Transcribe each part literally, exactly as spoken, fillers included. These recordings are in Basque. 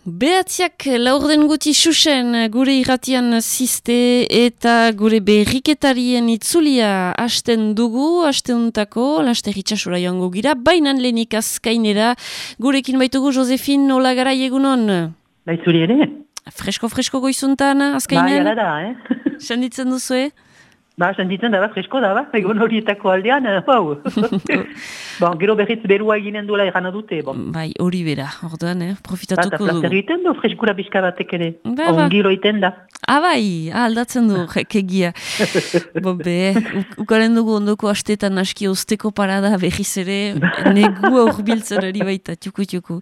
Behatziak laurden guti xuxen gure irratian ziste eta gure berriketarien itzulia hasten dugu, hasteuntako, laster itxasura joango gira, bainan lehenik azkainera, gurekin baitugu Josefin Olagarai egunon. Baitzuri ere? Fresko-fresko goizuntan azkainen? Ba, jala da, eh? Senditzen duzue? Ba, senditzen da, ba, fresko da, ba, egon horietako aldean, hau. Bon, gero berriz berua eginen duela erana dute, bon. Bai, hori bera, orduan, eh? Profitatuko dugu. Ba, eta plazer egiten du, freskura bizka batek ere. Ba, ba. Ongiro egiten da. Ah, bai, ah, aldatzen du, kegia. Bo, be, ukaren dugu ondoko astetan aski osteko parada berriz ere, negu aurbiltzen ari baita, txuku-txuku.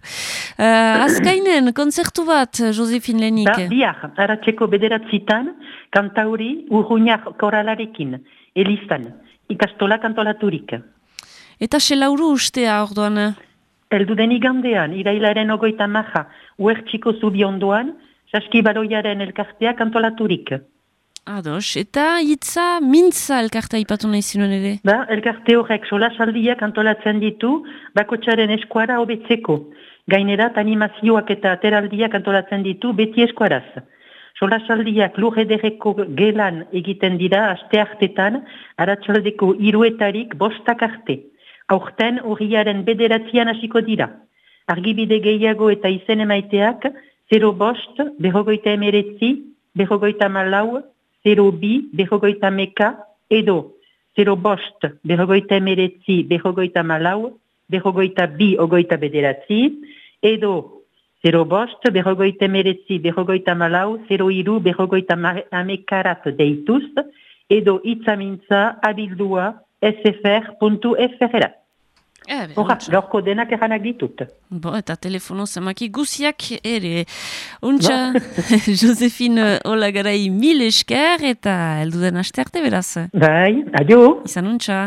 Uh, azkainen, konzertu bat, Josefin Lenik. Ba, biar, haratxeko bederatzitan, kantauri urruñar koralarekin, elizan, ikastola kantolaturik. Eta selauru ustea, orduan? Eldu den igandean, irailaren ogoita maja, uertxiko zubi ondoan, saskibaroiaren elkartea kantolaturik. Ados, eta hitza mintza elkartea ipatu nahi zinuen ere? Ba, elkarte horrek sola saldiak antolatzen ditu, bakotxaren eskuara hobetzeko. Gainerat animazioak eta ateraldiak antolatzen ditu beti eskuaraz. Solasaldiak lur ederreko gelan egiten dira aste hartetan, aratsaldeko hiruetarik bostak arte. Aurten urriaren bederatzian hasiko dira. Argibide gehiago eta izen emaiteak, zero bost, berrogoita emeretzi, berrogoita malau, zero bi, berrogoita meka, edo zero bost, berrogoita emeretzi, berrogoita malau, berrogoita bi, ogoita bederatzi, edo zero bost, berrogoita emeretzi, berrogoita malau, zero iru, berrogoita amekarat deituz, edo itzamintza abildua sfr puntu fr. Horra, gaurko denak eranak ditut. Bo, eta telefono zamaki guziak ere. Untxa, Josefin Olagarai mil esker eta elduden aste arte beraz. Bai, adio. Izan untxa.